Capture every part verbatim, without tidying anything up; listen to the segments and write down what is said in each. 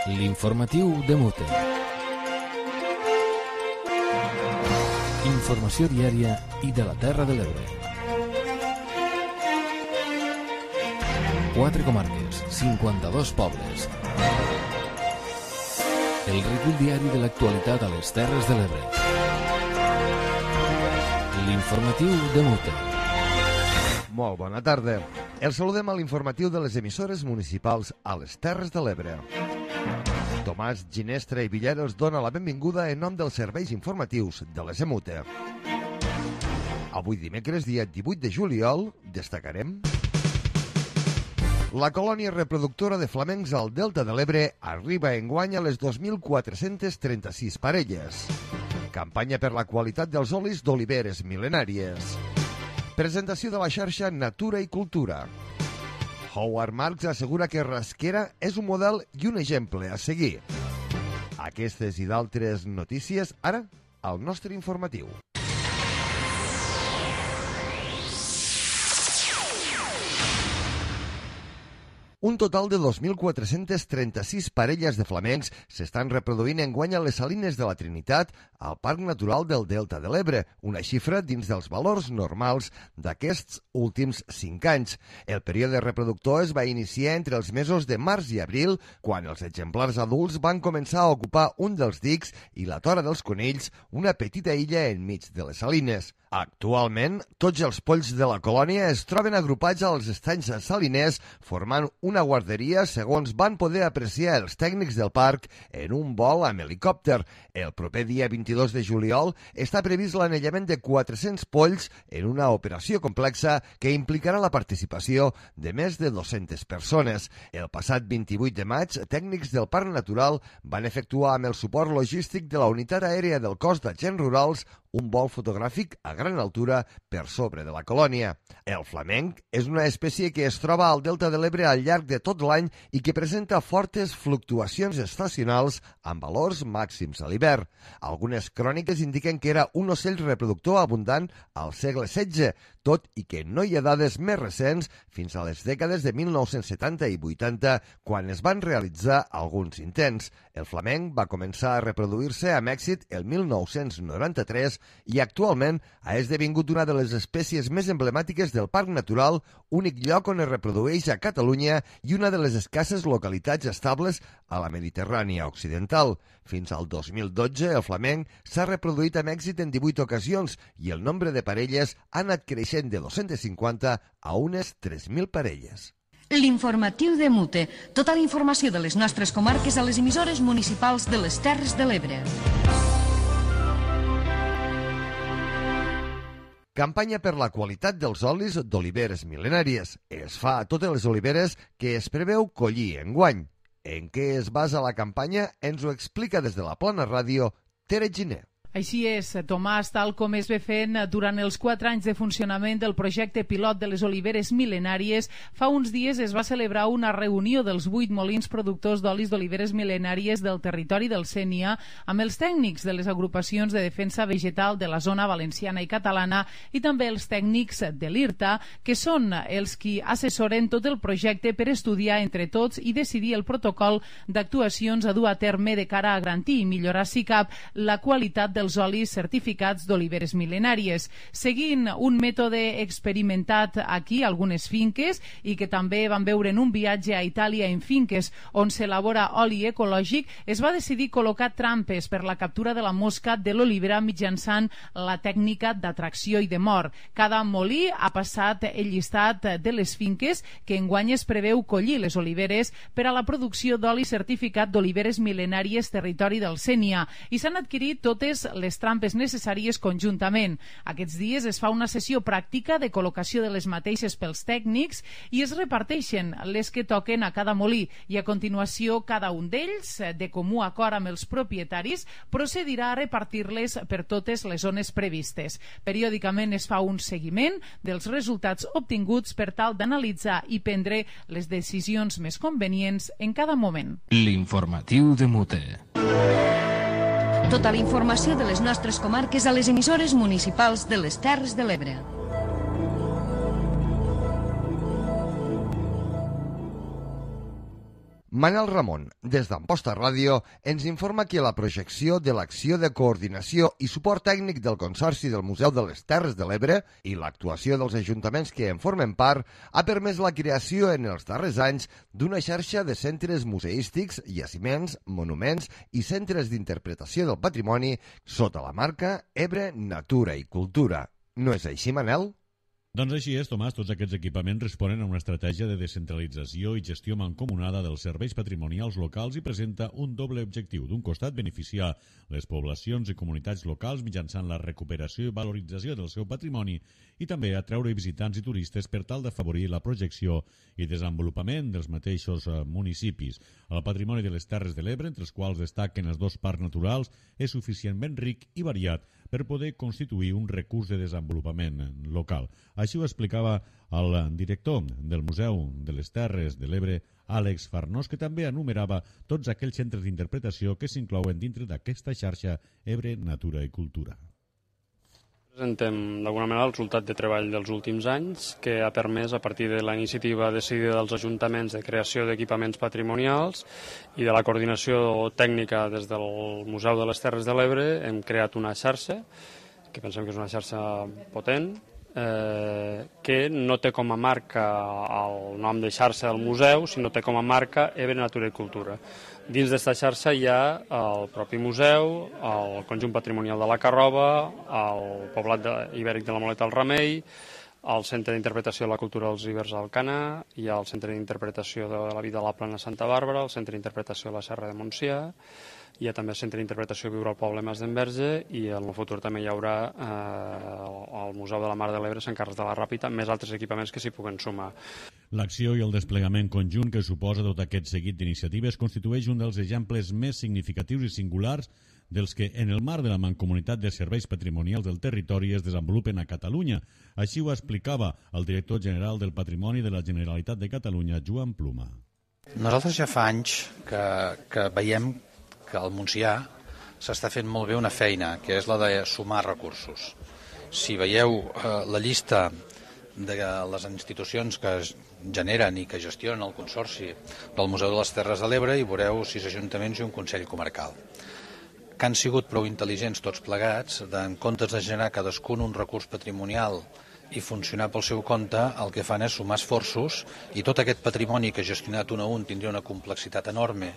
L'informatiu de Mute. Informació diària i de la Terra de l'Ebre. Quatre comarques, cinquanta-dos pobles. El recull diari de l'actualitat a les Terres de l'Ebre. L'informatiu de Mute. Molt bona tarda. El saludem a l'informatiu de les emissores municipals a les Terres de l'Ebre. Tomàs Ginestra i Villeros dona la benvinguda en nom dels serveis informatius de les EMUTE. Avui dimecres, dia divuit de juliol, destacarem: la colònia reproductora de flamencs al Delta de l'Ebre arriba enguany a les dos mil quatre-cents trenta-sis parelles. Campanya per la qualitat dels olis d'oliveres mil·lenàries. Presentació de la xarxa Natura i Cultura. Howard Marks assegura que Rasquera és un model i un exemple a seguir. Aquestes i d'altres notícies, ara, al nostre informatiu. Un total de dos mil quatre-cents trenta-sis parelles de flamencs s'estan reproduint enguany a les Salines de la Trinitat al Parc Natural del Delta de l'Ebre, una xifra dins dels valors normals d'aquests últims cinc anys. El període reproductor es va iniciar entre els mesos de març i abril, quan els exemplars adults van començar a ocupar un dels dics i la Tora dels Conills, una petita illa enmig de les Salines. Actualment, tots els polls de la colònia es troben agrupats als estanys saliners, formant una guarderia, segons van poder apreciar els tècnics del parc en un vol amb helicòpter. El proper dia vint-i-dos de juliol està previst l'anellament de quatre-cents polls en una operació complexa que implicarà la participació de més de dues-centes persones. El passat vint-i-vuit de maig, tècnics del Parc Natural van efectuar amb el suport logístic de la Unitat Aèria del Cos d'Agents Rurals un vol fotogràfic a gran altura per sobre de la colònia. El flamenc és una espècie que es troba al Delta de l'Ebre al llarg de tot l'any i que presenta fortes fluctuacions estacionals amb valors màxims a l'hivern. Algunes cròniques indiquen que era un ocell reproductor abundant al segle setze, tot i que no hi ha dades més recents fins a les dècades de mil nou-cents setanta i vuitanta, quan es van realitzar alguns intents. El flamenc va començar a reproduir-se amb èxit el mil nou-cents noranta-tres i actualment ha esdevingut una de les espècies més emblemàtiques del Parc Natural, únic lloc on es reprodueix a Catalunya i una de les escasses localitats estables a la Mediterrània occidental. Fins al dos mil dotze, el flamenc s'ha reproduït amb èxit en divuit ocasions i el nombre de parelles ha anat creixent de dos-centes cinquanta a unes tres mil parelles. L'informatiu de Mute. Tota la informació de les nostres comarques a les emissores municipals de les Terres de l'Ebre. Campanya per la qualitat dels olis d'oliveres mil·lenàries. Es fa a totes les oliveres que es preveu collir enguany. En què es basa la campanya ens ho explica des de la Plana Ràdio Tere Giner. Així és, Tomàs, tal com es ve fent durant els quatre anys de funcionament del projecte pilot de les oliveres mil·lenàries, fa uns dies es va celebrar una reunió dels vuit molins productors d'olis d'oliveres mil·lenàries del territori del Sénia amb els tècnics de les agrupacions de defensa vegetal de la zona valenciana i catalana i també els tècnics de l'IRTA, que són els qui assessoren tot el projecte per estudiar entre tots i decidir el protocol d'actuacions a dur a terme de cara a garantir i millorar, si cap, la qualitat dels olis certificats d'oliveres mil·lenàries, seguint un mètode experimentat aquí a algunes finques i que també van veure en un viatge a Itàlia en finques on s'elabora oli ecològic. Es va decidir col·locar trampes per la captura de la mosca de l'olivera mitjançant la tècnica d'atracció i de mort. Cada molí ha passat el llistat de les finques que enguany es preveu collir les oliveres per a la producció d'oli certificat d'oliveres mil·lenàries territori del Sénia i s'han adquirit totes les trampes necessàries conjuntament. Aquests dies es fa una sessió pràctica de col·locació de les mateixes pels tècnics i es reparteixen les que toquen a cada molí i a continuació cada un d'ells, de comú acord amb els propietaris, procedirà a repartir-les per totes les zones previstes. Periòdicament es fa un seguiment dels resultats obtinguts per tal d'analitzar i prendre les decisions més convenients en cada moment. L'informatiu de Mute. Tota la informació de les nostres comarques a les emissores municipals de les Terres de l'Ebre. Manel Ramon, des d'Amposta Ràdio, ens informa que la projecció de l'acció de coordinació i suport tècnic del Consorci del Museu de les Terres de l'Ebre i l'actuació dels ajuntaments que en formen part ha permès la creació en els darrers anys d'una xarxa de centres museístics, jaciments, monuments i centres d'interpretació del patrimoni sota la marca Ebre Natura i Cultura. No és així, Manel? Doncs així és, Tomàs. Tots aquests equipaments responen a una estratègia de descentralització i gestió mancomunada dels serveis patrimonials locals i presenta un doble objectiu. D'un costat, beneficiar les poblacions i comunitats locals mitjançant la recuperació i valorització del seu patrimoni i també atreure visitants i turistes per tal d'afavorir la projecció i desenvolupament dels mateixos municipis. El patrimoni de les Terres de l'Ebre, entre els quals destaquen els dos parcs naturals, és suficientment ric i variat per poder constituir un recurs de desenvolupament local. Així ho explicava el director del Museu de les Terres de l'Ebre, Àlex Farnós, que també enumerava tots aquells centres d'interpretació que s'inclouen dintre d'aquesta xarxa Ebre Natura i Cultura. Presentem d'alguna manera el resultat de treball dels últims anys que ha permès, a partir de la iniciativa decidida dels ajuntaments de creació d'equipaments patrimonials i de la coordinació tècnica des del Museu de les Terres de l'Ebre, hem creat una xarxa, que pensem que és una xarxa potent, eh, que no té com a marca el nom de xarxa del museu, sinó té com a marca Ebre Natura i Cultura. Dins d'aquesta xarxa hi ha el propi museu, el conjunt patrimonial de la Carroba, el poblat de, ibèric de la Moleta al Remei, el Centre d'Interpretació de la Cultura dels Ibers al Canà, hi ha el Centre d'Interpretació de la Vida a la Plana Santa Bàrbara, el Centre d'Interpretació de la Serra de Montsià, hi ha també el Centre d'Interpretació Viure al Poble Mas d'Enverge i en el futur també hi haurà eh, el Museu de la Mar de l'Ebre, Sant Carles de la Ràpita, més altres equipaments que s'hi puguen sumar. L'acció i el desplegament conjunt que suposa tot aquest seguit d'iniciatives constitueix un dels exemples més significatius i singulars dels que en el marc de la Mancomunitat de Serveis Patrimonials del Territori es desenvolupen a Catalunya. Així ho explicava el director general del Patrimoni de la Generalitat de Catalunya, Joan Pluma. Nosaltres ja fa anys que, que veiem que al Montsià s'està fent molt bé una feina, que és la de sumar recursos. Si veieu eh, la llista de les institucions que es generen i que gestionen el Consorci del Museu de les Terres de l'Ebre, hi veureu sis ajuntaments i un Consell Comarcal, que han sigut prou intel·ligents tots plegats, de, en comptes de generar cadascun un recurs patrimonial i funcionar pel seu compte, el que fan és sumar esforços i tot aquest patrimoni que gestionat un a un tindria una complexitat enorme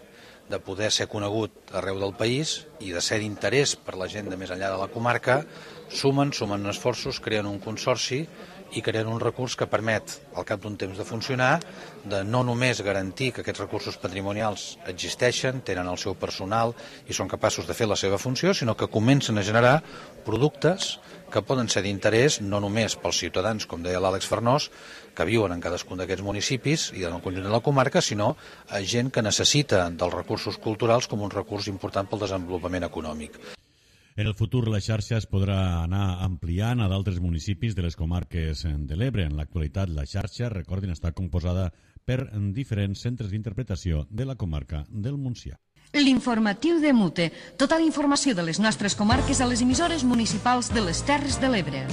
de poder ser conegut arreu del país i de ser d'interès per la gent de més enllà de la comarca, sumen, sumen esforços, creen un consorci i creen un recurs que permet, al cap d'un temps de funcionar, de no només garantir que aquests recursos patrimonials existeixen, tenen el seu personal i són capaços de fer la seva funció, sinó que comencen a generar productes que poden ser d'interès no només pels ciutadans, com deia l'Àlex Farnós, que viuen en cadascun d'aquests municipis i en el conjunt de la comarca, sinó a gent que necessita dels recursos culturals com un recurs important pel desenvolupament econòmic. En el futur la xarxa es podrà anar ampliant a d'altres municipis de les comarques de l'Ebre. En l'actualitat la xarxa, recordin, està composada per diferents centres d'interpretació de la comarca del Montsià. L'informatiu de Mute. Tota la informació de les nostres comarques a les emissores municipals de les Terres de l'Ebre.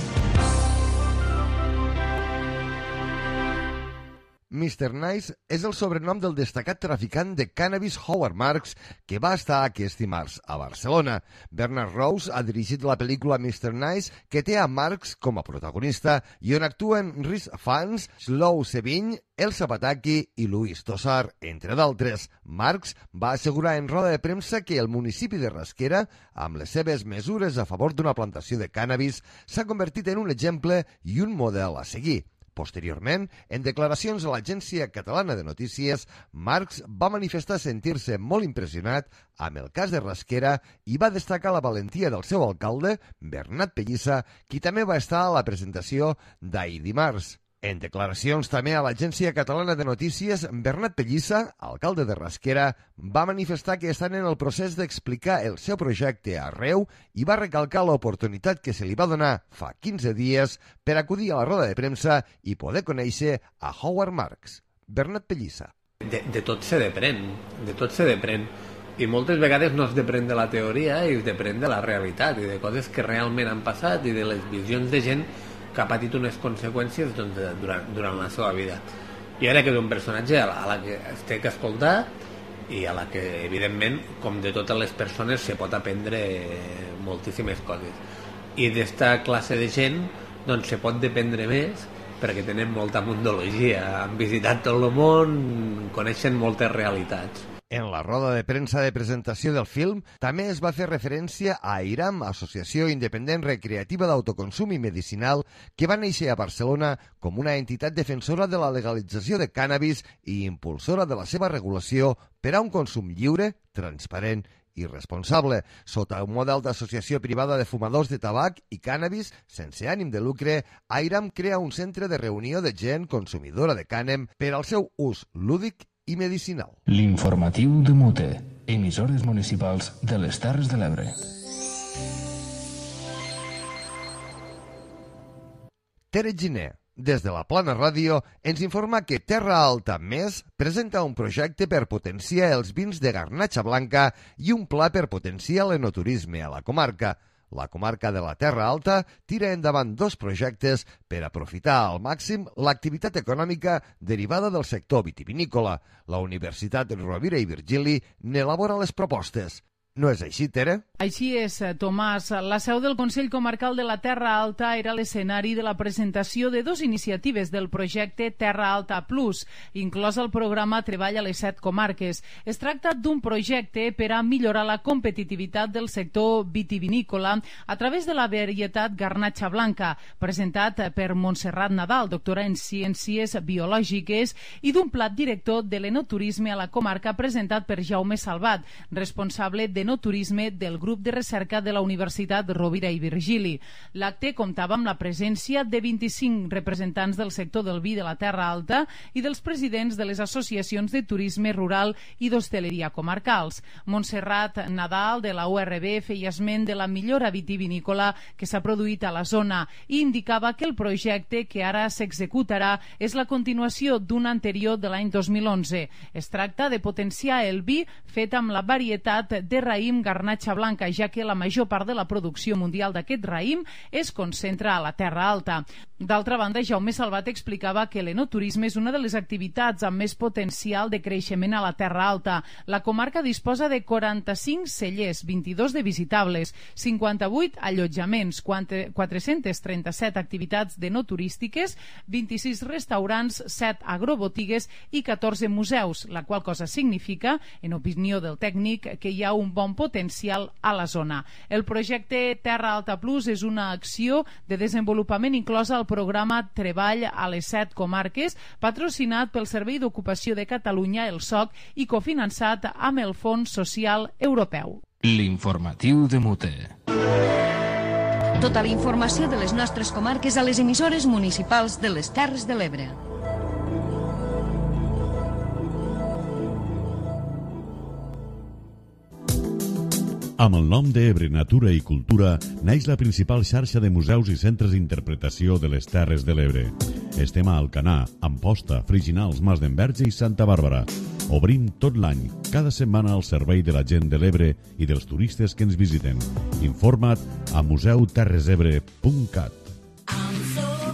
mister Nice és el sobrenom del destacat traficant de cannabis Howard Marks que va estar aquest dimarts a Barcelona. Bernard Rose ha dirigit la pel·lícula mister Nice, que té a Marks com a protagonista i on actuen Rhys Fans, Slow Sevigny, Elsa Pataki i Luis Tosar, entre d'altres. Marks va assegurar en roda de premsa que el municipi de Rasquera, amb les seves mesures a favor d'una plantació de cannabis, s'ha convertit en un exemple i un model a seguir. Posteriorment, en declaracions a l'Agència Catalana de Notícies, Marx va manifestar sentir-se molt impressionat amb el cas de Rasquera i va destacar la valentia del seu alcalde, Bernat Pellissa, qui també va estar a la presentació d'ahir dimarts. En declaracions també a l'Agència Catalana de Notícies, Bernat Pellissa, alcalde de Rasquera, va manifestar que estan en el procés d'explicar el seu projecte arreu i va recalcar l'oportunitat que se li va donar fa quinze dies per acudir a la roda de premsa i poder conèixer a Howard Marks. Bernat Pellissa. De, de tot se depèn, de tot se depèn. I moltes vegades no es depèn de la teoria i es depèn de la realitat i de coses que realment han passat i de les visions de gent que ha patit unes conseqüències doncs, durant, durant la seva vida. Jo crec que és un personatge a la, a la que es té que escoltar i a la que, evidentment, com de totes les persones, se pot aprendre moltíssimes coses. I d'esta classe de gent doncs, se pot dependre més perquè tenen molta mundologia, han visitat tot el món, coneixen moltes realitats. En la roda de premsa de presentació del film també es va fer referència a AIRAM, Associació Independent Recreativa d'Autoconsum i Medicinal, que va néixer a Barcelona com una entitat defensora de la legalització de cànnabis i impulsora de la seva regulació per a un consum lliure, transparent i responsable. Sota un model d'associació privada de fumadors de tabac i cànnabis sense ànim de lucre, AIRAM crea un centre de reunió de gent consumidora de cànem per al seu ús lúdic i medicinal. L'informatiu de Mute, emissores municipals de les Terres de l'Ebre. Tere Giner, des de la Plana Ràdio, ens informa que Terra Alta Més presenta un projecte per potenciar els vins de garnatxa blanca i un pla per potenciar l'enoturisme a la comarca. La comarca de la Terra Alta tira endavant dos projectes per aprofitar al màxim l'activitat econòmica derivada del sector vitivinícola. La Universitat Rovira i Virgili n'elabora les propostes. No és així, Tere? Així és, Tomàs. La seu del Consell Comarcal de la Terra Alta era l'escenari de la presentació de dues iniciatives del projecte Terra Alta Plus, inclòs el programa Treball a les set comarques. Es tracta d'un projecte per a millorar la competitivitat del sector vitivinícola a través de la varietat garnatxa blanca, presentat per Montserrat Nadal, doctora en Ciències Biològiques, i d'un plat director de l'enoturisme a la comarca presentat per Jaume Salvat, responsable de no turisme del grup de recerca de la Universitat Rovira i Virgili. L'acte comptava amb la presència de vint-i-cinc representants del sector del vi de la Terra Alta i dels presidents de les associacions de turisme rural i d'hostaleria comarcals. Montserrat Nadal, de la U R B, feia esment de la millora vitivinícola que s'ha produït a la zona i indicava que el projecte que ara s'executarà és la continuació d'un anterior de l'any dos mil onze. Es tracta de potenciar el vi fet amb la varietat de raïm garnatxa blanca, ja que la major part de la producció mundial d'aquest raïm es concentra a la Terra Alta. D'altra banda, Jaume Salvat explicava que l'enoturisme és una de les activitats amb més potencial de creixement a la Terra Alta. La comarca disposa de quaranta-cinc cellers, vint-i-dos de visitables, cinquanta-vuit allotjaments, quatre-cents trenta-set activitats d'enoturístiques, vint-i-sis restaurants, set agrobotigues i catorze museus, la qual cosa significa, en opinió del tècnic, que hi ha un bon potencial a la zona. El projecte Terra Alta Plus és una acció de desenvolupament inclosa al programa Treball a les set comarques, patrocinat pel Servei d'Ocupació de Catalunya, el S O C, i cofinançat amb el Fons Social Europeu. L'informatiu de Mute. Tota la informació de les nostres comarques a les emissores municipals de les Terres de l'Ebre. Amb el nom d'Ebre Natura i Cultura naix la principal xarxa de museus i centres d'interpretació de les Terres de l'Ebre. Estem a Alcanar, Amposta, Friginals, Mas d'Enverge i Santa Bàrbara. Obrim tot l'any, cada setmana al servei de la gent de l'Ebre i dels turistes que ens visiten. Informa't a museu terres ebre punt cat.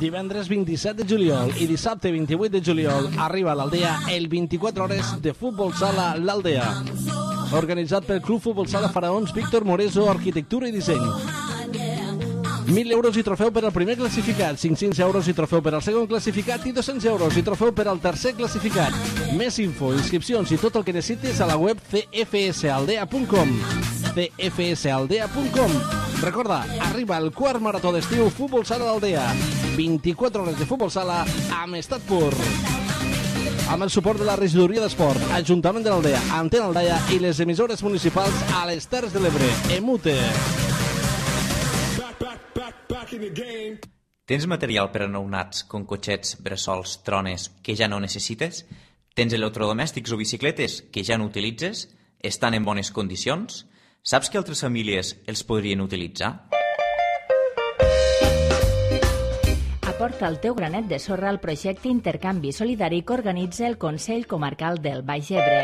Divendres vint-i-set de juliol i dissabte vint-i-vuit de juliol arriba a l'Aldea el vint-i-quatre hores de futbol sala l'Aldea. Organitzat pel Club Futbol Sala Faraons Víctor Moreso, Arquitectura i Disseny. mil euros i trofeu per al primer classificat, cinc-cents euros i trofeu per al segon classificat i dos-cents euros i trofeu per al tercer classificat. Més info, inscripcions i tot el que necessites a la web c f s aldea punt com. c f s aldea punt com. Recorda, arriba el quart marató d'estiu Futbol Sala d'Aldea. vint-i-quatre hores de futbol sala amb estat pur. Amb el suport de la Regidoria d'Esport, Ajuntament de l'Aldea, Antena Aldaia i les emissores municipals a les Terres de l'Ebre. Emute. Tens material per a nounats, com cotxets, bressols, trones, que ja no necessites? Tens electrodomèstics o bicicletes que ja no utilitzes? Estan en bones condicions? Saps que altres famílies els podrien utilitzar? Aporta el teu granet de sorra al projecte Intercanvi Solidari que organitza el Consell Comarcal del Baix Ebre.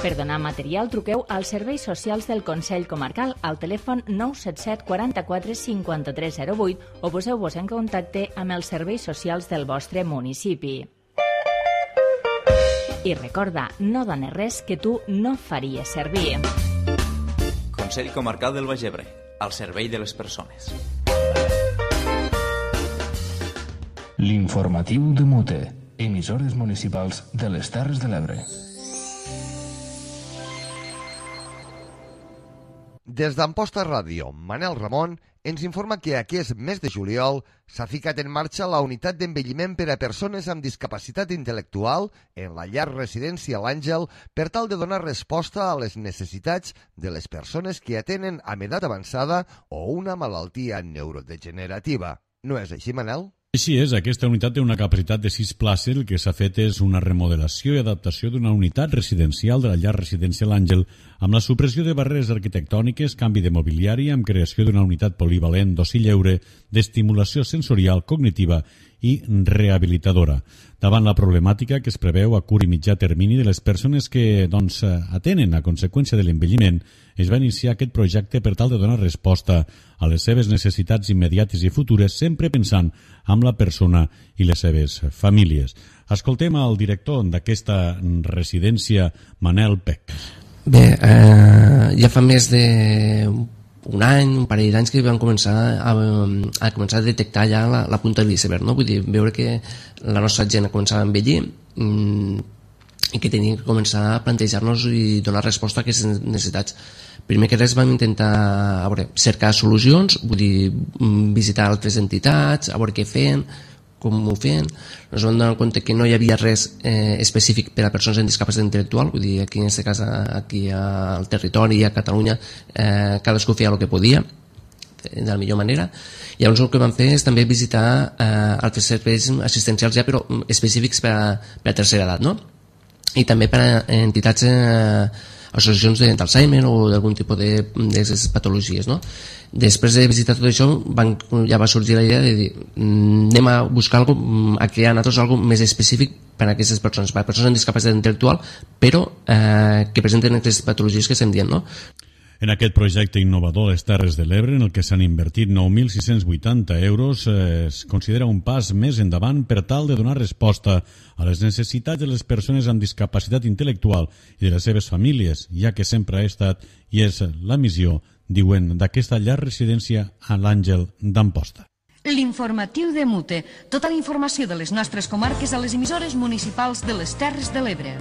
Per donar material, truqueu als serveis socials del Consell Comarcal al telèfon nou set set quaranta-quatre cinquanta-tres zero vuit o poseu-vos en contacte amb els serveis socials del vostre municipi. I recorda, no dones res que tu no faries servir. Consell Comarcal del Baix Ebre, al servei de les persones. L'informatiu de Mute, emissores municipals de les Terres de l'Ebre. Des d'Amposta Ràdio, Manel Ramon ens informa que aquest mes de juliol s'ha ficat en marxa la unitat d'envelliment per a persones amb discapacitat intel·lectual en la llar residència L'Àngel per tal de donar resposta a les necessitats de les persones que atenen amb edat avançada o una malaltia neurodegenerativa. No és així, Manel? Així és, aquesta unitat té una capacitat de sis places. El que s'ha fet és una remodelació i adaptació d'una unitat residencial de la llar residència L'Àngel amb la supressió de barreres arquitectòniques, canvi de mobiliari, amb creació d'una unitat polivalent d'oci lleure, d'estimulació sensorial, cognitiva i rehabilitadora. Davant la problemàtica que es preveu a curt i mitjà termini de les persones que doncs, atenen a conseqüència de l'envelliment, es va iniciar aquest projecte per tal de donar resposta a les seves necessitats immediates i futures, sempre pensant en la persona i les seves famílies. Escoltem al director d'aquesta residència, Manel Pec. Bé, eh, ja fa més d'un any, un parell d'anys que vam començar a, a començar a detectar ja la, la punta de l'iceberg, no? Vull dir, veure que la nostra gent començava a envellir mmm, i que teníem que començar a plantejar-nos i donar resposta a aquestes necessitats. Primer que res vam intentar a veure, cercar solucions, vull dir, visitar altres entitats, a veure què feien, com ho feien. Ens vam donar compte que no hi havia res eh, específic per a persones amb discapacitat intel·lectual, vull dir, aquí en aquest cas, aquí al territori, a Catalunya, eh, cadascú feia el que podia, de la millor manera. I llavors el que vam fer és també visitar eh, altres serveis assistencials ja, però específics per a, per a tercera edat, no? I també per a entitats, eh, associacions d'Alzheimer o d'algun tipus de, de patologies, no? Després de visitar tot això, van, ja va sorgir la idea de dir, anem a buscar alguna, a crear nosaltres alguna més específic per a aquestes persones, per a persones amb discapacitat intel·lectual, però eh, que presenten aquestes patologies que estem dient, no? En aquest projecte innovador Les Terres de l'Ebre, en el que s'han invertit nou mil sis-cents vuitanta euros, eh, es considera un pas més endavant per tal de donar resposta a les necessitats de les persones amb discapacitat intel·lectual i de les seves famílies, ja que sempre ha estat i és la missió, diuen, d'aquesta llar residència a l'Àngel d'Amposta. L'informatiu de Mute. Tota la informació de les nostres comarques a les emissores municipals de les Terres de l'Ebre.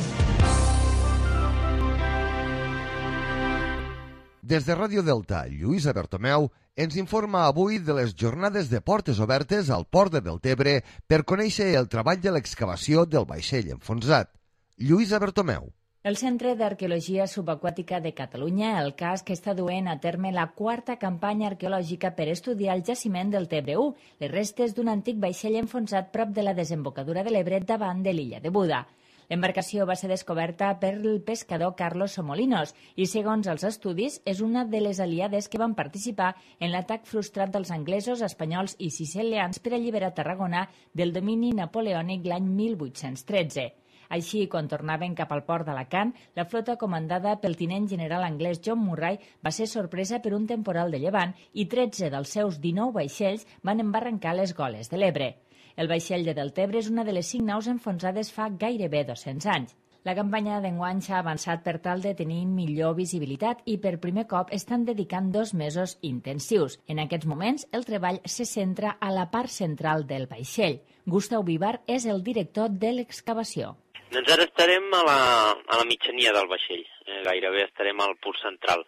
Des de Ràdio Delta, Lluïsa Bertomeu ens informa avui de les jornades de portes obertes al Port de Deltebre per conèixer el treball de l'excavació del vaixell enfonsat. Lluïsa Bertomeu. El Centre d'Arqueologia Subaquàtica de Catalunya, el C A S, que està duent a terme la quarta campanya arqueològica per estudiar el jaciment del Tebre u, les restes d'un antic vaixell enfonsat prop de la desembocadura de l'Ebre davant de l'illa de Buda. L'embarcació va ser descoberta per el pescador Carlos Somolinos i, segons els estudis, és una de les aliades que van participar en l'atac frustrat dels anglesos, espanyols i sicilians per alliberar Tarragona del domini napoleònic l'any mil vuit-cents tretze. Així, quan tornaven cap al port d'Alacant, la flota comandada pel tinent general anglès John Murray va ser sorpresa per un temporal de llevant i tretze dels seus dinou vaixells van embarrancar les goles de l'Ebre. El vaixell de Deltebre és una de les cinc naus enfonsades fa gairebé dos-cents anys. La campanya d'enguany s'ha avançat per tal de tenir millor visibilitat i per primer cop estan dedicant dos mesos intensius. En aquests moments, el treball se centra a la part central del vaixell. Gustau Vivar és el director de l'excavació. Doncs ara estarem a la, a la mitjania del vaixell, eh, gairebé estarem al punt central.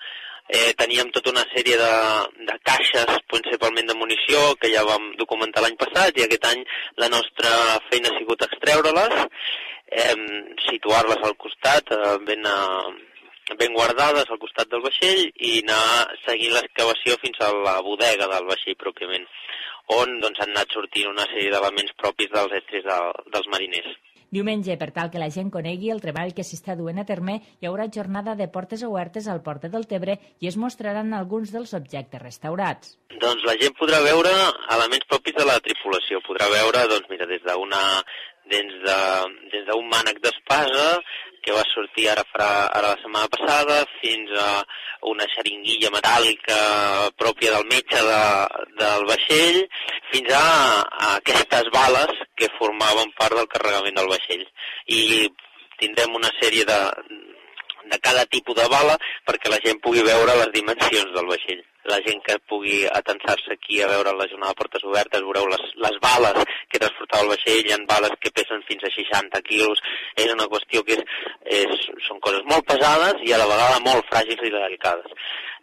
Eh, teníem tota una sèrie de, de caixes, principalment de munició, que ja vam documentar l'any passat, i aquest any la nostra feina ha sigut extreure-les, eh, situar-les al costat, eh, ben, eh, ben guardades al costat del vaixell, i anar seguint l'excavació fins a la bodega del vaixell pròpiament, on doncs, han anat sortint una sèrie d'elements propis dels estris de, dels mariners. Diumenge, per tal que la gent conegui el treball que s'està duent a terme, hi haurà jornada de portes obertes al Port de Deltebre i es mostraran alguns dels objectes restaurats. Doncs la gent podrà veure elements propis de la tripulació. Podrà veure, doncs mira, des d'una des de, des d'un mànec d'espasa que va sortir ara, farà, ara la setmana passada, fins a una xeringuilla metàl·lica pròpia del metge de, del vaixell, fins a, a aquestes bales que formaven part del carregament del vaixell. I tindrem una sèrie de, de cada tipus de bala perquè la gent pugui veure les dimensions del vaixell. La gent que pugui atensar-se aquí a veure la jornada de portes obertes, veureu les, les bales que transportava el vaixell, hi ha bales que pesen fins a seixanta quilos, és una qüestió que és, és, són coses molt pesades i a la vegada molt fràgils i delicades.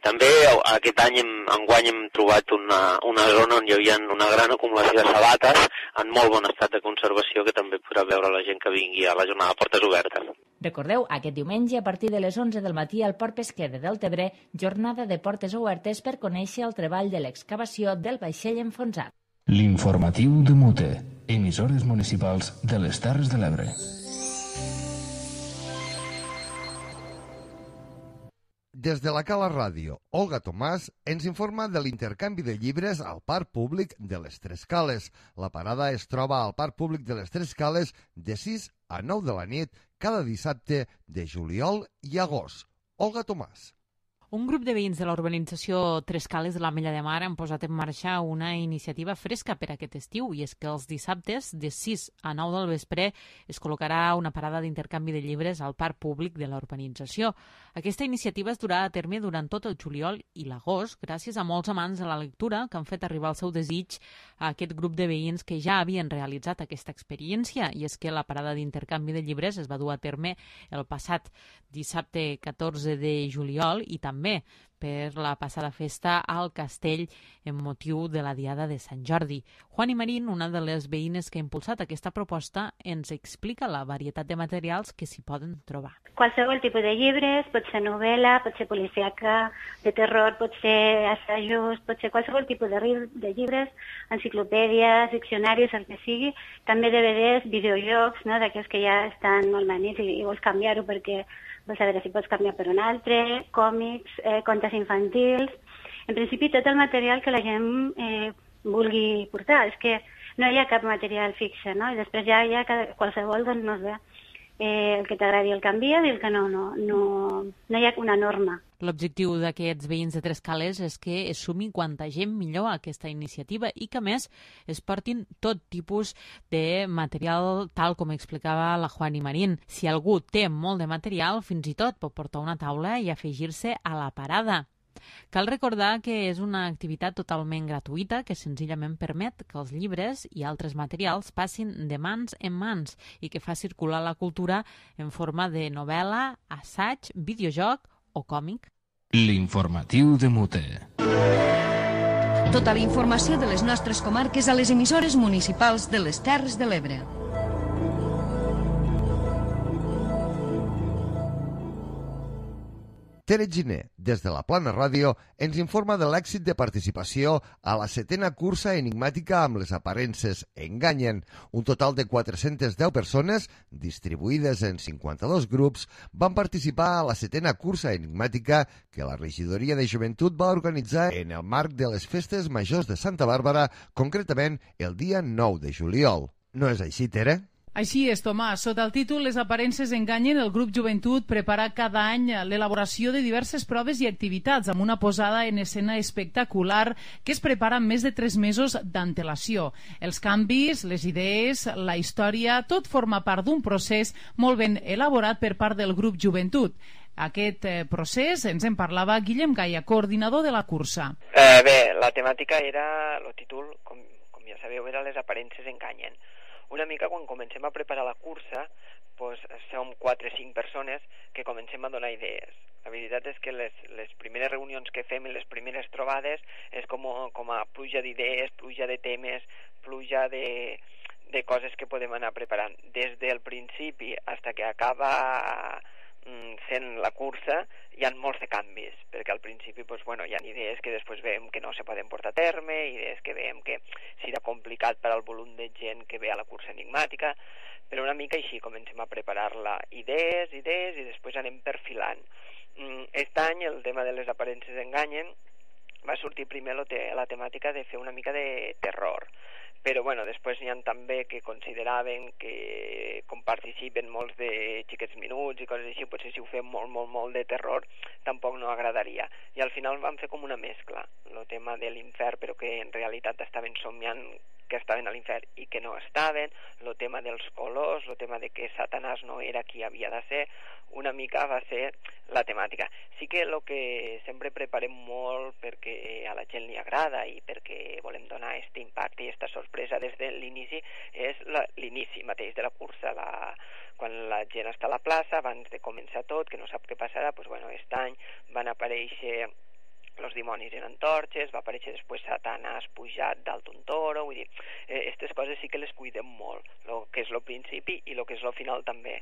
També aquest any, hem, enguany, hem trobat una, una zona on hi havia una gran acumulació de sabates en molt bon estat de conservació que també podrà veure la gent que vingui a la jornada de portes obertes. Recordeu, aquest diumenge a partir de les onze del matí al Port Pesquer de Deltebre, jornada de portes obertes per conèixer el treball de l'excavació del vaixell enfonsat. L'informatiu de Mute, emissores municipals de les Terres de l'Ebre. Des de la Cala Ràdio, Olga Tomàs ens informa de l'intercanvi de llibres al Parc Públic de les Tres Cales. La parada es troba al Parc Públic de les Tres Cales de sis a nou de la nit cada dissabte de juliol i agost. Olga Tomàs. Un grup de veïns de la urbanització Tres Cales de l'Ametlla de Mar han posat en marxa una iniciativa fresca per aquest estiu, i és que els dissabtes de sis a nou del vespre es col·locarà una parada d'intercanvi de llibres al parc públic de la urbanització. Aquesta iniciativa es durà a terme durant tot el juliol i l'agost, gràcies a molts amants de la lectura que han fet arribar el seu desig a aquest grup de veïns que ja havien realitzat aquesta experiència, i és que la parada d'intercanvi de llibres es va dur a terme el passat dissabte catorze de juliol i també per la passada festa al castell en motiu de la Diada de Sant Jordi. Juani Marín, una de les veïnes que ha impulsat aquesta proposta, ens explica la varietat de materials que s'hi poden trobar. Qualsevol tipus de llibres, pot ser novel·la, pot ser policíaca, de terror, pot ser assajos, pot ser qualsevol tipus de, de llibres, enciclopèdies, diccionaris, el que sigui, també D V Ds, videojocs, no? D'aquells que ja estan molt manits i, i vols canviar-ho perquè vols saber si pots canviar per un altre, còmics, eh, contes infantils. En principi, tot el material que la gent eh, vulgui portar. És que no hi ha cap material fixe, no? I després ja hi ha cada, qualsevol, doncs, no sé, eh, el que t'agradi el canvies i el que no, no, no, no hi ha una norma. L'objectiu d'aquests veïns de Tres Cales és que es sumi quanta gent millor a aquesta iniciativa i que, a més, es portin tot tipus de material, tal com explicava la Juani Marín. Si algú té molt de material, fins i tot pot portar una taula i afegir-se a la parada. Cal recordar que és una activitat totalment gratuïta que senzillament permet que els llibres i altres materials passin de mans en mans i que fa circular la cultura en forma de novel·la, assaig, videojoc o còmic. L'informatiu de Mute. Tota la informació de les nostres comarques a les emissores municipals de les Terres de l'Ebre. Tere Giner, des de la Plana Ràdio, ens informa de l'èxit de participació a la setena cursa enigmàtica amb les aparences Enganyen. Un total de quatre-centes deu persones, distribuïdes en cinquanta-dos grups, van participar a la setena cursa enigmàtica que la Regidoria de Joventut va organitzar en el marc de les Festes Majors de Santa Bàrbara, concretament el dia nou de juliol. No és així, Tere? Així és, Tomàs. Sota el títol Les aparences enganyen, el grup Joventut prepara cada any l'elaboració de diverses proves i activitats amb una posada en escena espectacular que es prepara amb més de tres mesos d'antelació. Els canvis, les idees, la història, tot forma part d'un procés molt ben elaborat per part del grup Joventut. Aquest eh, procés ens en parlava Guillem Gaia, coordinador de la cursa. Eh, bé, la temàtica era, el títol, com, com ja sabeu, era Les aparences enganyen. Una mica quan comencem a preparar la cursa, doncs, som quatre o cinc persones que comencem a donar idees. La veritat és que les, les primeres reunions que fem i les primeres trobades és com, com a pluja d'idees, pluja de temes, pluja de, de coses que podem anar preparant. Des del principi fins que acaba sent la cursa hi ha molts de canvis, perquè al principi doncs, bueno, hi ha idees que després veiem que no se poden portar a terme, idees que veiem que serà complicat per al volum de gent que ve a la cursa enigmàtica, però una mica així comencem a preparar-la, idees, idees, i després anem perfilant. Aquest any el tema de les aparences enganyen va sortir primer la temàtica de fer una mica de terror, però bueno, després n'hi ha també que consideraven que com participen molts de xiquets minuts i coses així, potser si ho fem molt, molt, molt de terror tampoc no agradaria. I al final vam fer com una mescla, el tema de l'infern, però que en realitat estaven somiant que estaven a l'infern i que no estaven, el tema dels colors, el tema de que Satanàs no era qui havia de ser, una mica va ser la temàtica. Sí que el que sempre preparem molt perquè a la gent li agrada i perquè volem donar aquest impacte i aquesta sorpresa des de l'inici és l'inici mateix de la cursa, la, quan la gent està a la plaça, abans de començar tot, que no sap què passarà, doncs, bueno, aquest any van aparèixer els dimonis en antorxes, va aparèixer després Satanàs pujat dalt d'un toro, vull dir, aquestes eh, coses sí que les cuidem molt, el que és el principi i el que és el final també.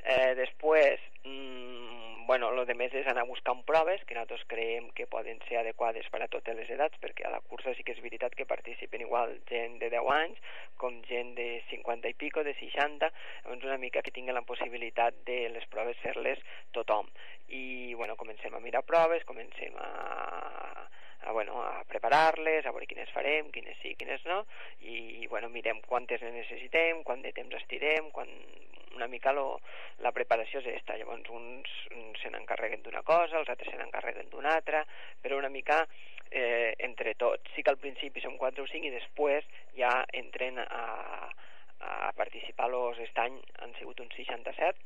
Eh, després, mmm, bueno, el de més és anar buscant proves que nosaltres creiem que poden ser adequades per a totes les edats, perquè a la cursa sí que és veritat que participen igual gent de deu anys com gent de cinquanta i pico, de seixanta, doncs una mica que tinguin la possibilitat de les proves fer-les tothom. I bueno, comencem a mirar proves, comencem a a, bueno, a preparar-les, a veure quines farem, quines sí, quines no, i bueno, mirem quantes ne necessitem, quant de temps estirem, quan una mica lo, la preparació és aquesta. Llavors uns se n'encarreguen d'una cosa, els altres se n'encarreguen d'una altra, però una mica eh, entre tots. Sí que al principi som quatre o cinc i després ja entren a, a participar. Los aquest any han sigut uns seixanta-set.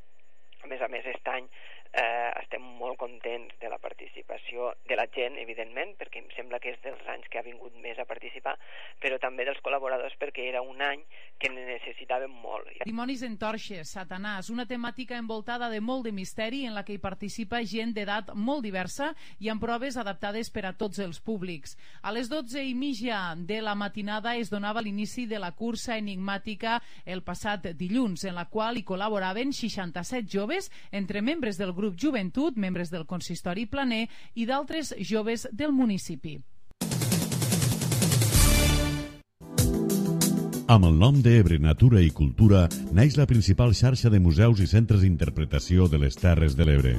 A més a més, aquest any eh, estem molt contents de la participació de la gent, evidentment, perquè em sembla que és dels anys que ha vingut més a participar, però també dels col·laboradors, perquè era un any que ne necessitàvem molt. Dimonis en torxes, Satanàs, una temàtica envoltada de molt de misteri en la que hi participa gent d'edat molt diversa i amb proves adaptades per a tots els públics. A les dotze i mitja de la matinada es donava l'inici de la cursa enigmàtica el passat dilluns, en la qual hi col·laboraven seixanta-set joves, entre membres del grup Joventut, membres del consistori planer i d'altres joves del municipi. Amb el nom d'Ebre Natura i Cultura naix la principal xarxa de museus i centres d'interpretació de les Terres de l'Ebre.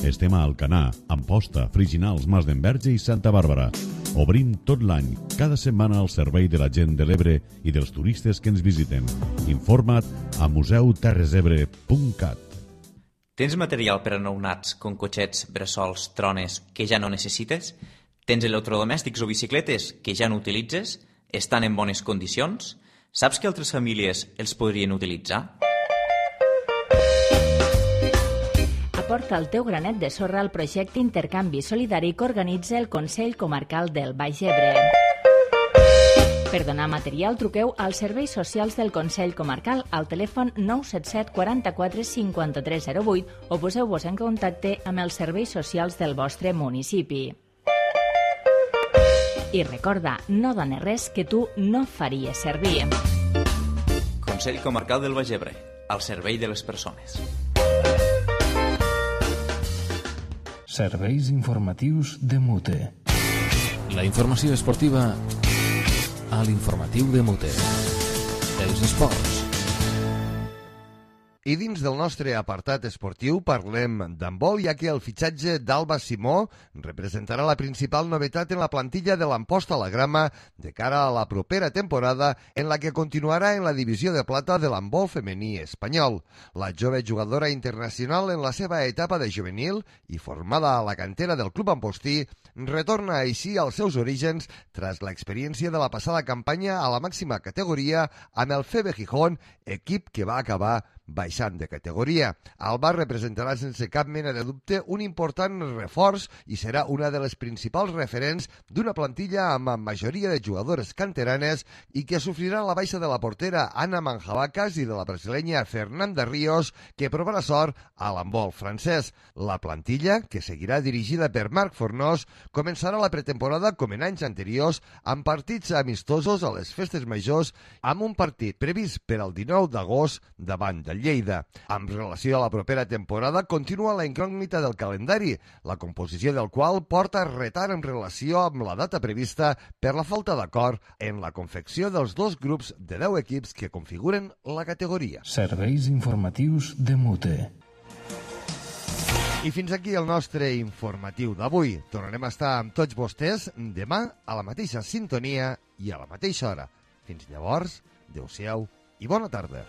Estem a Alcanar, Amposta, Friginals, Mas d'Enverge i Santa Bàrbara. Obrim tot l'any, cada setmana al servei de la gent de l'Ebre i dels turistes que ens visiten. Informa't a museu terres ebre punt cat. Tens material per a nounats, com cotxets, bressols, trones, que ja no necessites? Tens electrodomèstics o bicicletes que ja no utilitzes? Estan en bones condicions? Saps que altres famílies els podrien utilitzar? Aporta el teu granet de sorra al projecte Intercanvi Solidari que organitza el Consell Comarcal del Baix Ebre. Per donar material, truqueu als serveis socials del Consell Comarcal al telèfon nou set set quaranta-quatre cinquanta-tres zero vuit o poseu-vos en contacte amb els serveis socials del vostre municipi. I recorda, no dones res que tu no faries servir. Consell Comarcal del Baix Ebre, al servei de les persones. Serveis informatius de Mute. La informació esportiva a l'informatiu de Mute. Els esports. I dins del nostre apartat esportiu parlem d'handbol, ja que el fitxatge d'Alba Simó representarà la principal novetat en la plantilla de l'Amposta a la Grama de cara a la propera temporada, en la que continuarà en la divisió de plata de l'handbol femení espanyol. La jove jugadora internacional en la seva etapa de juvenil i formada a la cantera del club ampostí retorna així als seus orígens tras l'experiència de la passada campanya a la màxima categoria amb el F B Gijón, equip que va acabar baixant de categoria. Alba representarà sense cap mena de dubte un important reforç i serà una de les principals referents d'una plantilla amb majoria de jugadores canteranes i que sofrirà la baixa de la portera Anna Manjabacas i de la brasilenya Fernanda Ríos, que provarà sort a l'handbol francès. La plantilla, que seguirà dirigida per Marc Fornós, començarà la pretemporada com en anys anteriors amb partits amistosos a les festes majors, amb un partit previst per al dinou d'agost davant de Lleida. Amb relació a la propera temporada, continua la incògnita del calendari, la composició del qual porta retard en relació amb la data prevista per la falta d'acord en la confecció dels dos grups de deu equips que configuren la categoria. Serveis informatius de Mute. I fins aquí el nostre informatiu d'avui. Tornarem a estar amb tots vostès demà a la mateixa sintonia i a la mateixa hora. Fins llavors, adeu-siau i bona tarda.